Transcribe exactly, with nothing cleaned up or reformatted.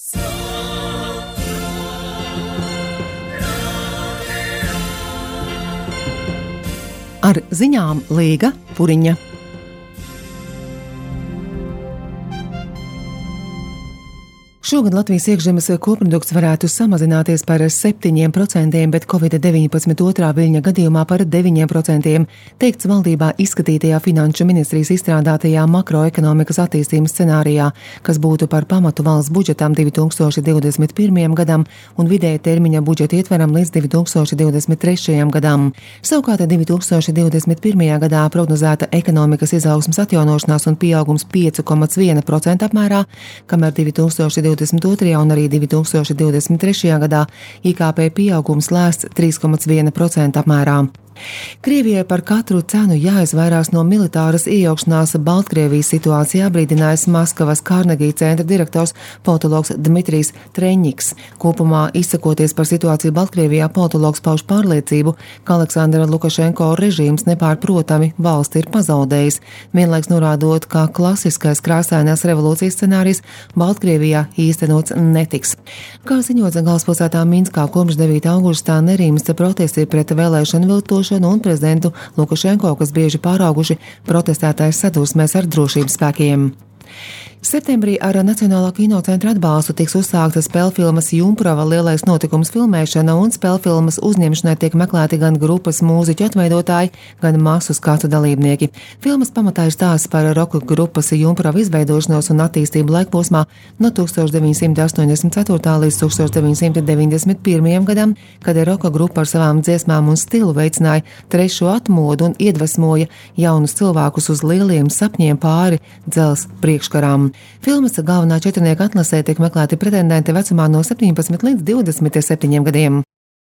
Ar ziņām Līga Puriņa. Šogad Latvijas iekšzemes koprodukts varētu samazināties par septiņiem procentiem, bet covid deviņpadsmit otrā viļņa gadījumā par deviņiem procentiem, teikts valdībā izskatītajā Finanšu ministrijas izstrādātajā makroekonomikas attīstības scenārijā, kas būtu par pamatu valsts budžetam divi tūkstoši divdesmit pirmajam gadam un vidēja termiņa budžeta ietveram līdz divi tūkstoši divdesmit trešajam gadam. Savukārt divi tūkstoši divdesmit pirmajā gadā prognozēta ekonomikas izaugsmes atjaunošanās un pieaugums pieci komats viens procents apmērā, kamēr divi tūkstoši divdesmit otrajā un arī divi tūkstoši divdesmit trešajā gadā I K P pieaugums lēsts trīs komats viens procents apmērā. Krievijai par katru cenu jāizvairās no militāras iejaukšanās Baltkrievijas situācijā, brīdinājis Maskavas Carnegie centra direktors politologs Dmitrijs Treņņiks. Kopumā izsakoties par situāciju Baltkrievijā, politologs pauž pārliecību, ka Aleksandra Lukašenko režīms nepārprotami valsti ir pazaudējis, vienlaiks norādot, ka klasiskais krāsainās revolūcijas scenārijs Baltkrievijā īstenots netiks. Kā ziņots galvaspilsētā Minskā, kopš devītā augustā nerimsta protesti pret vēlēšanu viltošanu un prezidentu Lukašenko, kas bieži pārauguši protestētājas sadursmēs ar drošības spēkiem. Septembrī ar Nacionālā kinocentra atbalstu tiks uzsākta spēlfilmas Jumprava lielais notikums filmēšana, un spēlfilmas uzņemšanai tiek meklēti gan grupas mūziķu atveidotāji, gan masu skatu dalībnieki. Filmas pamatā ir stāsts par roka grupas Jumprava izveidošanos un attīstību laikposmā no tūkstoš deviņsimt astoņdesmit ceturtā līdz tūkstoš deviņsimt deviņdesmit pirmajam gadam, kad roka grupa ar savām dziesmām un stilu veicināja trešo atmodu un iedvesmoja jaunus cilvēkus uz lieliem sapņiem pāri dzelzs priekškarām. Filmas galvenā četrnieka atlasē tiek meklēti pretendenti vecumā no septiņpadsmit līdz divdesmit septiņiem gadiem.